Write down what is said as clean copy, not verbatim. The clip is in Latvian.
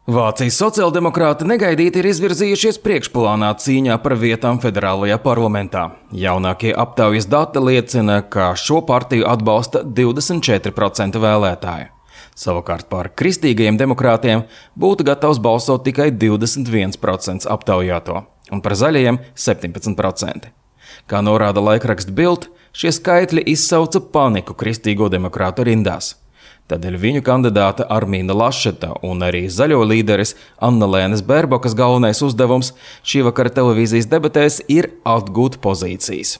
Vācijas sociāldemokrāti negaidīti ir izvirzījušies priekšplānā cīņā par vietām federālajā parlamentā. Jaunākie aptaujas dati liecina, ka šo partiju atbalsta 24% vēlētāju. Savukārt par kristīgajiem demokrātiem būtu gatavs balsot tikai 21% aptaujāto, un par zaļajiem 17%. Kā norāda laikraksts Bild, šie skaitļi izsauca paniku kristīgo demokrātu rindās. Tādēļ viņu kandidāta Armīna Lašeta un arī zaļo līderis Annalēnes Bērbokas galvenais uzdevums šī vakara televīzijas debatēs ir atgūt pozīcijas.